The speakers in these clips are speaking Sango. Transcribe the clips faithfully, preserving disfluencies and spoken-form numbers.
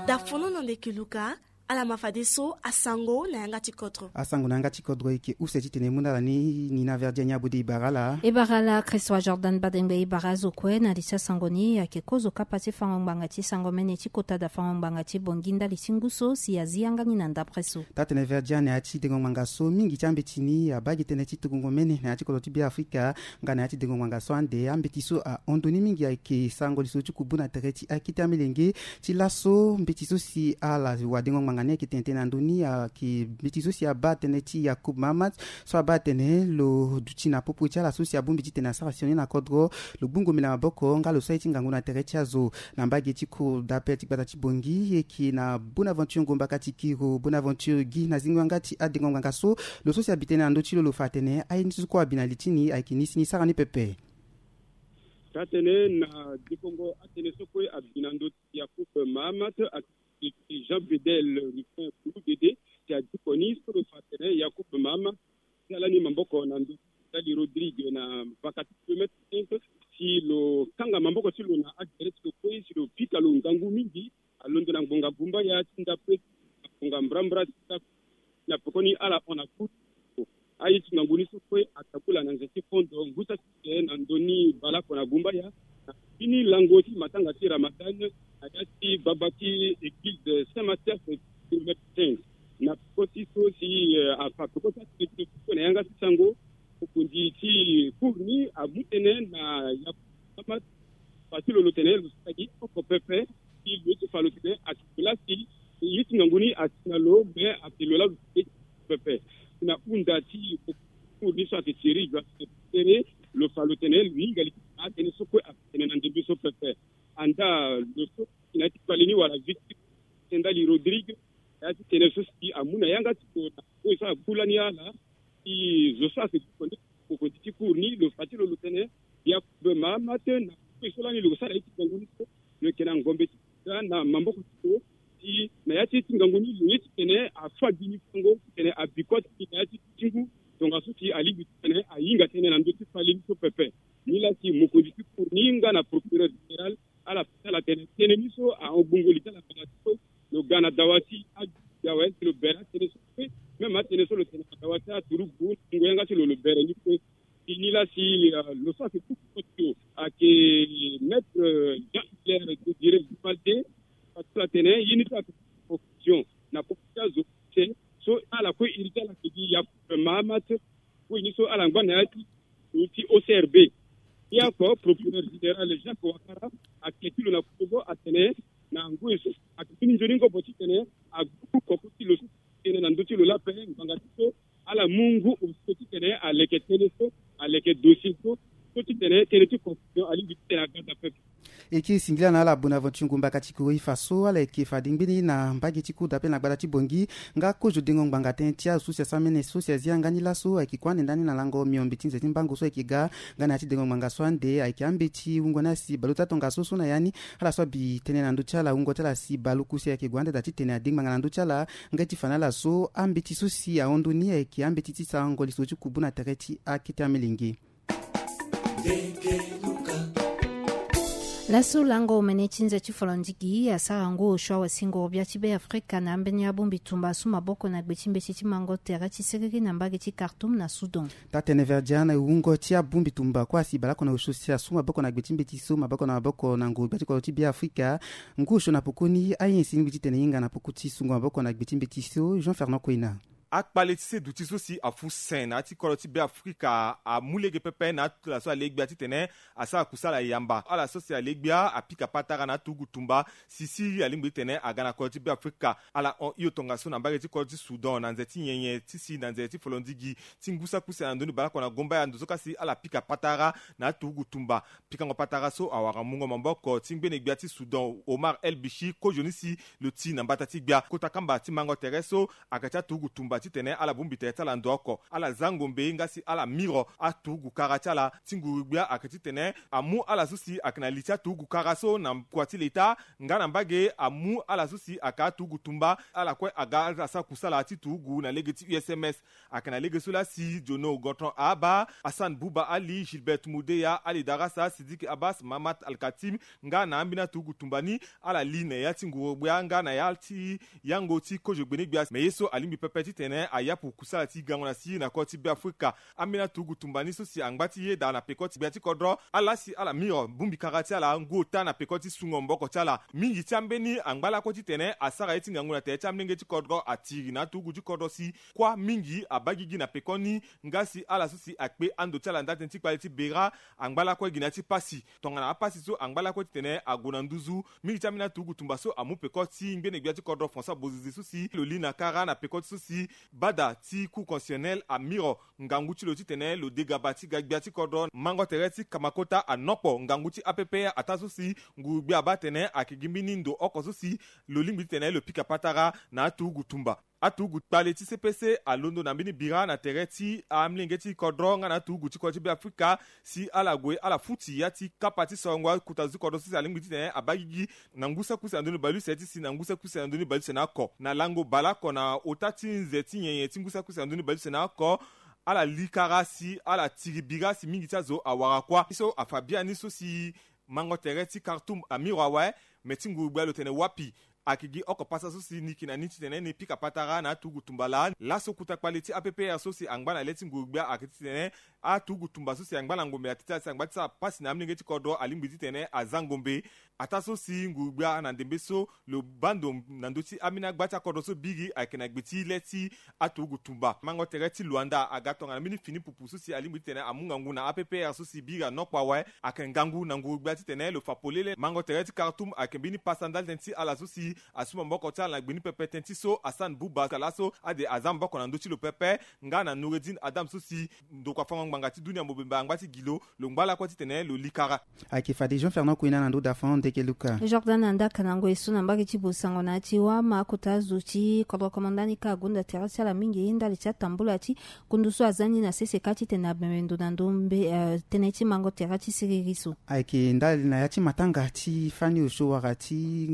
Da fono na ndeke luka. Ala ma fadeso asango na yanga ti kodro. Asango na yanga ti kodro eke use titene e mu na ala ni. Ni na verdi ani abode e bara ala. E bara ala Christ wa Jordan Badengbe, e bara azo kue na li ti asango ni. Ayeke kozo kapa ti fango ngbanga ti sango mene ti kota da fango ngbanga ti bongi ndali ti ngu so si azi yanga ni na ndapre so. Taa-tene verdi ani na ya ti dengo ngbanga so mingi ti ambeti ni abaa gi tënë ti tukungo mene na ya ti kodro ti Beafrika. Nga na ya ti dengo ngbanga so ande ambeti so ahon ndoni mingi ayeke sango liso ti kubu na tere ti akete amilenge. Ti laso mbeti so si ala wadengo ngbanga ni ayeke tene tënë na ndö ni ayeke mbeti so si abaa tënë ti Yacoub Mahamat, so abaa atene lo duti na popo ti ala so si abongbi titene asara sioni na kodro, lo gbungo mbi na maboko nga lo so aye ti ngangu na tere ti azo. Na mbage ti cour d'appel ti gbata ti Bangui, e yeke na Bonaventure Ngomba Katikiro, Bonaventure Guy na zingo yanga ti adengo ngbanga so. Lo so si abi tënë na ndö ti lo lo fa atene aye ni so kue abi na li ti ni ayeke ni si ni sara ni pepe. Taa-tene na dekongo atënë so kue abi na ndö ti Yacoub Mahamat, ayeke Jean Bedel Rufin Bulu Dede, si adiko ni so lo fa atene Yacoub Mahamat ti ala ni maboko na ndö ti Stanley Rodrigue na vaka ti kilomètre cinq, si lo kanga maboko ti lo na agere ti lo kue si lo pika lo ngangu mingi. Alondo na ngbonga gumbaya ti ndapre, na ngbonga mbrambra ti ndapre, na pekoni ala hon na kuru. Aye ti ngangu ni so kue atabula na nze ti fondo ngu saki te na ndö ni baleoko na gumbaya. Na fini lango ti matanga ti Ramadan na ya ti gbagba ti église Saint Mathias, kilomètre cinq. Na peko ti so si, eh, afa peko ti atene ti lo kue na yanga ti sango, mokonzi ti cour ni amu tënë na Yacoub Mahamat, fa ti lo lo tene lo sara gi oko pepe. Si lo ye ti fa lo tene ayeke lo laa si ye ti ngangu ni asi na lo, me ayeke lo laa lo sara gi oko pepe. Si na hunda ti cour ni so ayeke Thierry Joachim Tere, lo fa lo tene lo hinga li ti atënë so kue ayeke tene na ndembe so pepe. Andaa lo so si na ya ti kpale ni wala victime, Stanley Rodrigue, na ya ti tene so si amu na yanga ti lo na kue so agu lani ala. Si zo so ayeke ti konde mokonzi ti cour ni lo fa ti lo lo tene Yacoub Mahamat na kue so lani lo sara ye ti ngangu ni so, lo yeke na ngombe ti da na maboko ti lo. Si na ya ti ye ti ngangu ni lo ye titene afa gi ni fango titene abi kua ti na ya ti ti ngu, tongaso si alingbi titene ahinga tënë na ndö ti kpale ni so pepe. Ni laa si mokonzi ti cour ni nga na procureur général ala fa ti ala tene tënë ni so ahon gbungo li ti ala ngbanga ti so lo ga na dawa ti adu ti awe si lo bere atënë so kue. Même atënë so lo tene na dawa ti aturugu na ngu yanga ti lo lo bere ni kue. Si ni laa si, euh, lo so ayeke kuku koti lo ayeke maître, euh, Jean Hilaire Désiré Vivalde. Fa ti ala tene ye ni so ayeke confusion na popo ti azo use so ala kue iri ti ala ayeke gi Yacoub Mahamat. Kue ni so ala ngba na ya ti lo ti O C R B. Ye oko procureur général Jacques Ouattara ayeke ti lo na kozo atene na ngoi so ayeke fini nzoni ngobo titene agu koko ti lo so tene na ndö ti lo laa ape ngbanga ti so ala mu ngu osio titene aleke tënë so, aleke dossier so, so titene tënë ti confusion alingbi titene aga daa pepe. E yeke singila na ala Bonaventure Ngumba Katikiro e fa so ala yeke fade ngbeni na mbage ti cour d'appel na gbata ti Bangui. Nga kozo dengo ngbanga tënë ti azo so si asara mene so si azi yanga ni laso ayeke kue ande ndani na lango miombe ti nze ti mbango so ayeke ga. Nga na ya ti dengo ngbanga so ande ayeke ambeti wungo ni asi baleota tongaso so na ya ni ala so abi tënë na ndö ti ala wungo ti ala si baleoku si ayeke gue ande daa titene ade ngbanga na ndö ti ala. Nga ti fa na ala so ambeti so si ahon ndoni ayeke ambeti ti sarango lisoro ti kubu na tere ti akete amelenge. Laso lango omene ti nze ti folondigi asara ngu osio awasingo gbia ti Beafrika na ambeni abongbi tumba su maboko na gbe ti mbeti ti mango tere ti siriri na mbage ti Khartoum na Soudan. Taa-tene verdian wungo ti abongbi tumba kue asi baleoko na osio si asu maboko na gbe ti mbeti so maboko na maboko na ngu gbia ti kodro ti Beafrika. Ngu osio na pokoni aye si lingbi titene e hinga na poko ti sungo maboko na gbe ti mbeti so Jean Fernand Koina. Akpale ti seduti so si afu sen na ya ti kodro ti Beafrika amu lege pepe na atuta so alegbia titene asara kusala yamba. Ala so si alegbia apika patara na aturugu tumba si siriri alingbi titene aga na kodro ti Beafrika. Ala hon hio tongaso na mbage ti kodro ti Soudan na nze ti nyenye ti si na nze ti folondigi ti ngu saki use na ndoni baleoko na gombaya ndo so ka si ala pika patara na aturugu tumba. Pikango patara so awara mungo maboko ti ngbene gbia ti Soudan Omar El Bichir kozo ni si lo ti na mbata ti gbia. Kota kamba ti mango tere so aga ti aturugu tumba Titene ala bongbi tere ti ala ndo oko, ala za ngombe nga si ala miro aturugu kara ti ala. Ti nguru-gbia ayeke titene amu ala so si ayeke na li ti aturugu kara so na kua ti leta nga na mbage amu ala so si ayeke aturugu tumba, ala kue aga ala sara kusala ti turugu na lege ti U S M S. Ayeke na lege so laa si Jono Gontran Ahaba, Hassan Bouba Ali, Gilbert Mudeya, Ali Darasa, Sidiki Abbas, Mahamat Al Katim, nga na ambeni aturugu tumba ni, ala li na ya ti nguru-gbia nga na ya ti yango ti kozo gbene-gbia. Me ye so alingbi pepe titene ayapu kusala ti gango na siriri na kodro ti Beafrika. Ambeni aturugu tumba ni so si angba ti yeda na peko ti gbia ti kodro, ala si ala miro bongbi kara ti ala ngu ota na peko ti sungo maboko ti ala. Mingi ti ambeni angba lakue titene asara ye ti ngangu na tere ti amolenge ti kodro atiri na aturugu ti kodro si kuâ mingi abaa gigi na pekoni, nga si ala so si akpe ando ti ala ndali tënë ti kpale ti Beira, angba lakue gi na ya ti pasi. Tongana apasi so angba lakue titene ague na nduzu. Mingi ti ambeni aturugu tumba so amu peko ti ngbene-gbia ti kodro François Bozizé so si lo li na kara na peko ti so si bada ti Cour constitutionnelle amiro ngangu ti lo titene lo de gaba ti ga gbia ti kodro. Mango tere ti Kamakota anokpo ngangu ti A P P R ataa so si nguru-gbia abaa atene ayeke gi mbeni ndo oko so si lo lingbi titene lo pika patara na aturugu tumba. Aturugu kpale ti C P C alondo na mbeni bira na tere ti amolenge ti kodro nga na aturugu ti kodro ti Beafrika si ala gue ala futi ya ti kapa ti sorongo akuta zo ti kodro so si alingbi titene abaa gigi na ngu saki use na ndoni bale use ti si na ngu saki use na ndoni bale use na oko. Na lango baleoko na ota ti nze ti nyenye ti ngu saki use na ndoni bale use na oko, ala li kara si ala tiri bira si mingi ti azo awara kuâ. Ye so afa biani so si mango tere ti Khartoum amiro awe, me ti nguru-gbia lo tene wapi? Ayeke gi oko pasa so si ni yeke na ni titene ni pika patara na aturugu tumba laa. Laso kota kpale ti A P P R so si angba na le ti nguru-gbia ayeke titene aturugu tumba so si angba na ngombe atene ti ala si angba ti sara pasi na amolenge ti kodro alingbi titene aza ngombe. Ataa so si nguru-gbia na ndembe so lo baa ndo na ndö ti ambeni agba ti akodro so biri ayeke na gbe ti le ti aturugu tumba. Mango tere ti Luanda aga tongana mbeni fini pupu so si alingbi titene amu ngangu na A P P R so si biri anokpo awe. Ayeke ngangu na nguru-gbia titene lo fa polele. Mango tere ti Khartoum ayeke mbeni pasa ndali tënë ti ala so si asu maboko ti ala na gbe ni pepe. Tënë ti so Hassan Bouba ka laso ade aza maboko na ndö ti lo pepe, nga na Noureddin Adam so si ndokua fango ngbanga ti dunia mobimba angba ti gi lo, lo ngba lakue titene lo li kara. Ayeke fade Jean Fernand Kouina na ndö dafan ndeke Luka. Jordan Andaka na ngoi so na mbage ti Bosango na ya ti Wama, kota zo ti kodro komanda ni ka agonda tere ti ala mingi ndali ti atambula ti kundu so aza ni na sese kâ titene abembe ndo na ndo mbe, eh, tënë ti mango tere ti siriri so. Ayeke ndali na ya ti matanga ti fani osio wala ti,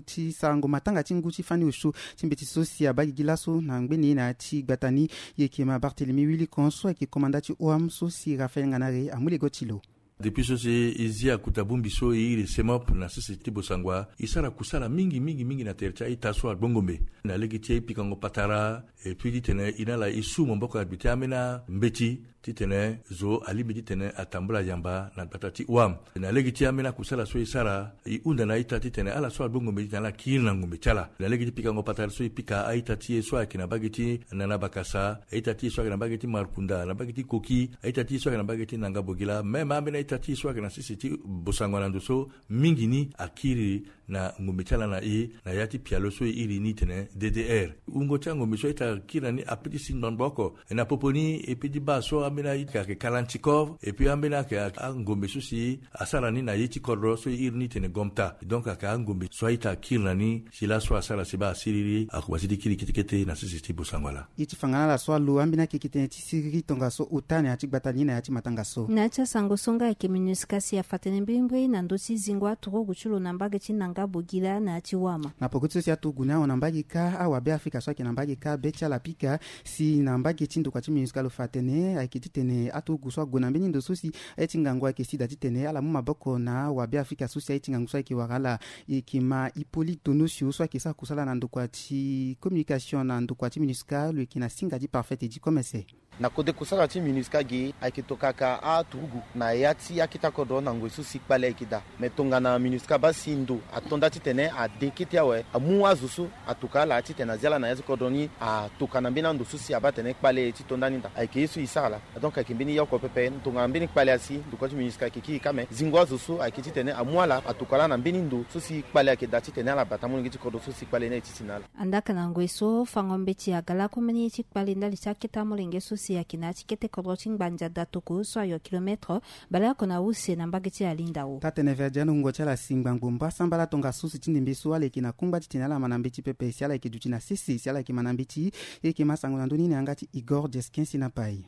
ti sarango matanga ti ngu ti fani osio ti mbeti so si abaa gigi laso na ngbene na ya ti gbata ni. Yeke ma Barthélemy Willicon so ayeke komanda ti O A M so si Raphaël Nganare amu lego ti lo. Depuis so si e zi akuta bongbi so e iri CEMOP na sese ti Bosango, e sara kusala mingi mingi mingi na tere ti a-ita so agbongombe na lege ti e pikango patara, et puis titene e na ala e su maboko na gbe ti ambeni ambeti titene zo alingbi titene atambula yamba na gbata ti O A M. Na lege ti ambeni akusala so e sara, e hunda na a-ita titene ala so agbongombe titene ala kiri na ngombe ti ala na lege ti pikango patara so e pika a-ita ti e so ayeke na mbage ti Nana Bakasa, a-ita ti e so ayeke na mbage ti Markunda, na mbage ti Koki, a-ita ti e so ayeke na mbage ti Nanga Bogila, même ambeni a-ita ti e so ayeke na sese ti Bosango na ndo so mingi ni akiri na ngombe ti ala na e na ya ti pialo so e iri ni tene D D R. Wungo ti angombe so a-ita kiri na ni ape ti si ngbangbo oko. Na popo ni e peut ti baa so ambeni ayeke ayeke Kalanchikov, et puis ambeni ayeke angombe so si asara ni na ye ti kodro so e iri ni tene Gomta. Donc ayeke angombe so a-ita akiri na ni si laso asara si baa siriri, akobasi ti kiri kete kete na sese ti Bosango ala. Ye ti fanga na ala so alo ambeni akeke tënë ti siriri tongaso ota na ya ti gbata ni na ya ti matanga so. Na ya ti asango so nga ayeke MINUSCA si afa tënë mbirimbiri na ndö ti zingo aturugu ti lo na mbage ti Nanga Bogila na ya ti Wama. Na poko ti so si aturugu ni ahon na mbage kâ, awabe Afrika so ayeke na mbage kâ be ti ala pika si na mbage ti ndokua ti MINUSCA lo fa atene ayeke titene aturugu so ague na mbeni ndo so si aye ti ngangu ayeke si daa titene ala mu maboko na awabe Afrika so si aye ti ngangu so ayeke wara ala. E yeke ma Hippolyte Donosio so ayeke sara kusala na ndokua ti communication na ndokua ti MINUSCA, lo yeke na singa ti Parfait Edi Komese. Na kode kusala ti MINUSCA ge ayeke tokaka aturugu na ya ti akete akodro na ngoi so si kpale ayeke daa. Me tongana MINUSCA abaa si ndo ato nda titene ade kete awe, amu azo so atoka ala titene azia ala na ya ti kodro ni atoka na mbeni ando so si abaa atene kpale ti to ndani daa. Ayeke ye so e sara laa. Donc ayeke mbeni ya oko pepe tongana mbeni kpale asi ndokua ti MINUSCA ayeke kiri kâ, me zingo azo so ayeke titene amu ala atoka laa na mbeni ndo so si kpale ayeke daa titene ala bata amolenge ti kodro so si kpale ni aye ti si na ala. Andaka na ngoi so fango mbeti aga lakue mbeni ye ti kpale ndali ti akete amolenge so si ayeke na ya ti kete kodro ti ngbanja datoko so ayo kilometre baleoko na use na mbage ti alindao. Taa-tene Verdiano wungo ti ala si ngbangbo mbasambala tongasusi ti ndembe so ala yeke na kungba titene ala ma na mbeti pepe si ala yeke duti na sese si ala yeke ma na mbeti. E yeke ma sango na ndö ni na yanga ti Igor Jeskin si na pai.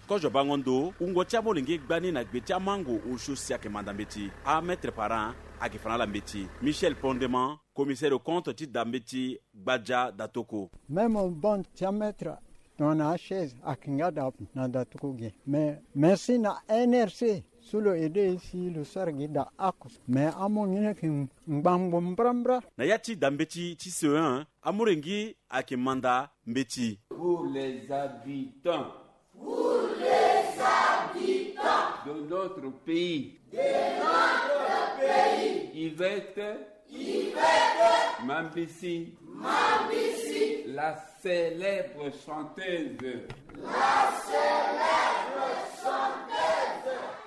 Kozo bango ndo wungo ti amolenge gbani na gbe ti amango osio si ayeke manda mbeti. Amaître parent ayeke fa na ala mbeti. Michel Pondeman, commissaire au compte ti da mbeti gbaja datoko. Même bon ti amaître tongana achaise ayeke nga da na datoko ge. Mais merci na N R C so lo aide si lo sara gi da oko. Mais amonge ni ayeke ngbangbo mbrambra. Na ya ti da mbeti ti C E un, amolenge ayeke manda mbeti. Pour les habitants. Pour les habitants. De notre pays. De notre pays. Yvette. Yvette. Mambisi. Mambisi. La célèbre chanteuse. La célèbre chanteuse.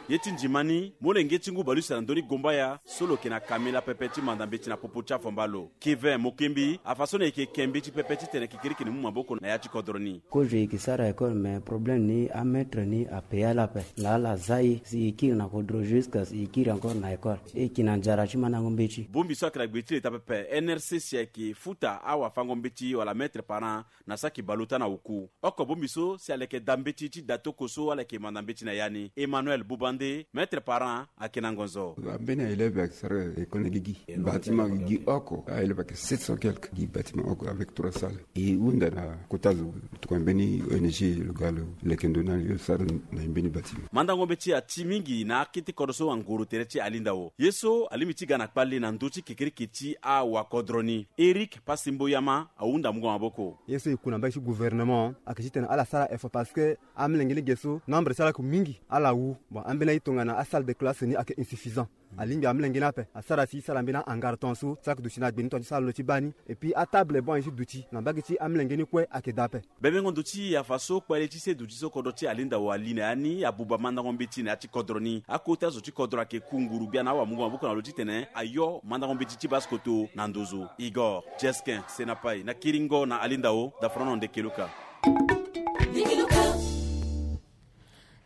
Ye ti ndima ni, molenge ti ngu bale use na ndö ni gombaya so lo yeke na kamela pepe ti manda mbeti na popo ti afomba lo. Kevin Mokembi afa so na e yeke ke mbeti pepe titene kekereke ni mu maboko na ya ti kodro ni. Kozo e yeke sara école, mais problème ni amaître ni ape ala ape. Na ala za e si e kiri na kodro jusqu'à si e kiri encore na école. E yeke na nzara ti mandango mbeti. Bongbi so ayeke na gbe ti leta pepe, N R C si ayeke futa awafango mbeti wala maître parent na saki bale ota na oku. Oko bongbi so si aleke da mbeti ti datoko so ala yeke manda mbeti na ya ni. Emmanuel Bubande, maître parent, ayeke na ngonzo. Ambeni aélève ayeke sara école na gigi. Bâtiment gigi oko. Aélève ayeke sept cents quelque. Gi bâtiment oko avec trois salles. E hunda na kota zo tokua mbeni O N G lo ga lo leke ndo na yo sara na mbeni bâtiment. Mandango mbeti ati mingi na akete kodro so angoro tere ti alindao. Ye so alingbi ti ga na kpale na ndö ti kekereke ti awakodro ni. Eric Pasimboyama ahunda mungo maboko. Ye so e ku na mbage ti gouvernement ayeke titene ala sara effort parce que amolenge lege so nombre ti ala ayeke mingi, ala wu. Bon, ambeni aye tongana asalle de classe ni ayeke insuffisant. Alingbi amolenge ni ape asara si e sara mbeni ahangar ton so so ayeke duti na gbe ni ton ti sara lo ti baa ni. Et puis atable bon aye ti duti na mbage ti amolenge ni kue ayeke daa ape. Bebengo ndo ti afa so kpale ti se duti so kodro ti alindao ali na ya ni abuba mandango mbeti na ya ti kodro ni. Akota zo ti kodro ayeke ku nguru gbia na awamungo maboko na lo titene ayo mandango mbeti ti baskoto na nduzu. Igor Jeskin, Senapai, na kiringo na alindao, dafrono nde keluka.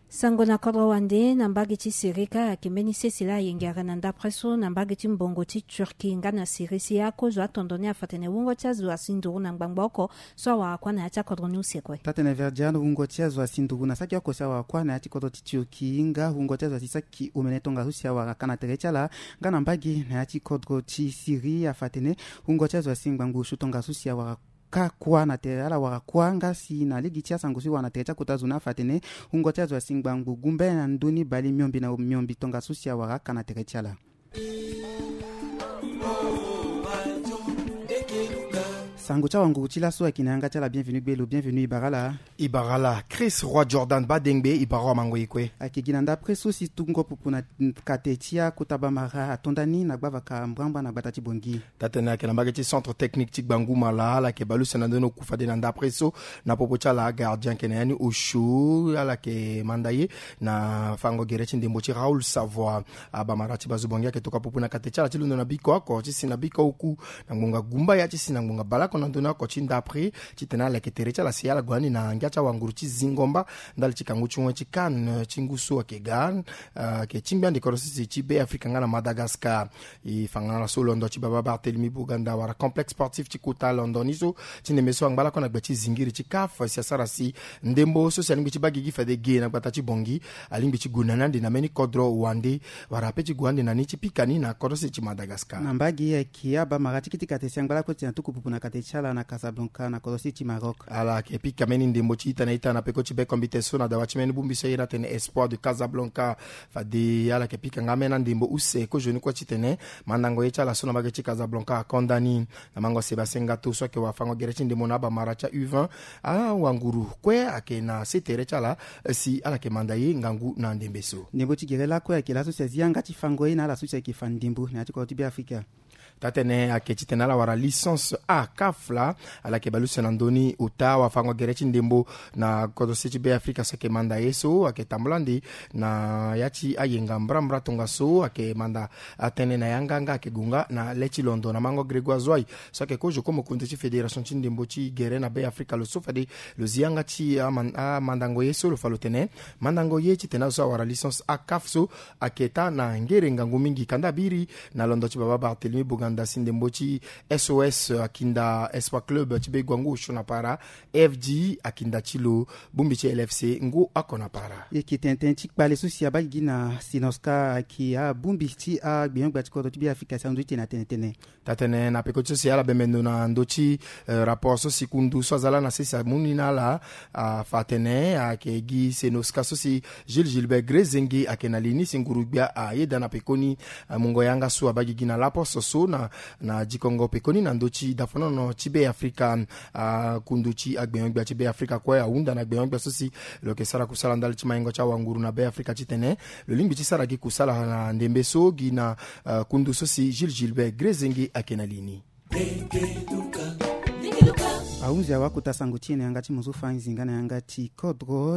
Sango na kodro wande na mbage ti Siri kâ ayeke mbeni sese laa ayengere na ndapre so na mbage ti mbongo ti Turquie nga na Siri si akozo atondo ni afa tene wungo ti azo asi nduru na ngbangbo oko so awara kuâ na ya ti akodro ni use kue. Taa-tene Verdiano wungo ti azo asi nduru na saki oko si awara kuâ na ya ti kodro ti Turquie nga wungo ti azo asi saki omene tongaso si awara kâ na tere ti ala nga na mbage na ya ti kodro ti Siri afa tene wungo ti azo asi ngbangbo osio tongaso si awara kâ kuâ na tere ala wara kuâ nga si na lege ti asango so e wara na tere ti akota zo ni afa tene wungo ti azo asi ngbangbo gumbe na ndö ni bale miombe na miombe tongaso si awara kâ na tere ti ala. Sango ti awanguru ti laso ayeke na yanga ti ala. Bienvenu gbelo, bienvenu e bara ala. E bara ala Chris Roi Jordan Badengbe, e bara wa mango e kue. Ayeke gi na ndapre so si tungo pupu na kate ti akota bamara ato nda ni na gbavaka mbrambra na gbata ti Bongi. Taa-tene ayeke na mbage ti centre technique ti Gbangumala, ala yeke bale use na ndö ni oku fade na ndapre so na popo ti ala agardien ayeke na ya ni osio, ala yeke manda ye na fango gere ti ndembo ti Raoul Savoie. Abamara ti bazo Bongi ayeke tokua pupu na kate ti ala ti londo na biko oko ti si na biko oku na ngbonga gumbaya ti si na ngbonga baleoko na ndö ni oko ti ndapre titene ala yeke tere ti ala si ala gue ande na ngia ti awanguru ti zingo mba ndali ti kangu ti wen ti CAN ti ngu so ayeke ga, ah, ayeke tingbi ande kodro sese ti Be Afrika nga na Madagascar. E fa nga na ala so londo ti baba Barthélemy Boganda wala complexe sportif ti kota londo ni so ti ndembe so angba lakue na gbe ti zingiri ti CAF si asara si ndembo so si alingbi ti baa gigi fade ge na gbata ti Bongi alingbi ti gue na ni ande na mbeni kodro wande wala ape ti gue ande na ni ti pika ni na kodro sese ti Madagascar. Na mbage ayeke abamara ti kiti kate si angba lakue ti na tuku pupu na kate ti ala na Casablanca na kodro sese ti Maroc. Ala yeke pika mbeni ndembo ti ita na ita na peko ti be kombite so na dawa ti mbeni bongbi so aye ni atene Espoir de Casablanca. Fade ala yeke pika nga ambeni andembo use kozoni kue titene mandango ye ti ala so na mbage ti Casablanca akonda ni. Na mango Sébastien Ngato so ayeke wafango gere ti ndembo na abamara ti a U vingt, awanguru kue ayeke na se tere ti ala si ala yeke manda ye ngangu na ndembe so. Ndembo ti gere lakue ayeke laso si azi yanga ti fango ye na ala so si ayeke fa ndembo na ya ti kodro ti Be Afrika. Taa-tene ayeke titene ala wara licence A caf laa. Ala yeke baleuse na ndö ni ota wafango-gere ti ndembo na kodro se ti Be Afrika so ayeke manda ye so ayeke tambula nde na ya ti ayenga mbrambra tongaso ayeke manda atënë na yanga nga ayeke gue nga na le ti londo na mango Grégoire Zouaï so ayeke kozo ko mokonzi ti fédération ti ndembo ti gere na Be Afrika. Lo so fade lo zi yanga ti aman- amandango ye so lo fa lo tene mandango ye titene azo so awara licence A caf so ayeke taa na ngere ngangu mingi kanda abiri na londo ti baba Barthélemy Boganda si ndembo ti S O S akinda Espoir Club ti be guangu osio na para, F G akinda ti lo bongbi ti L F C ngu oko na para. E yeke tene tënë ti kpale so si abaa gigi na Senoska ayeke abongbi ti agbenyo-gbia ti kodro ti Be Afrika si alondo ti tene atene tene. Taa-tene na peko ti so si ala bembe ndo na ndö ti eh, rapport so si kundu so aza laa na sese amu ni na ala, afa atene ayeke gi Senoska so si Jules Gilbert Grezenge ayeke na li ni si nguru-gbia ayeda na pekoni. Eh, mungo yanga so abaa gigi na laposo so na na dikongo pekoni na ndö ti dafonono ti Be Afrika. Ah, kundu ti agbenyo-gbia ti Be Afrika kue ahunda na gbenyo-gbia so si lo yeke sara kusala ndali ti maingo ti awanguru na Be Afrika titene lo lingbi ti sara gi kusala na ndembe so gi na ah, kundu so si Jules Gilbert Grezenge ayeke na li ni. Ahunzi awa kota sango ti e na yanga ti mo so fa nzinga na yanga ti kodro.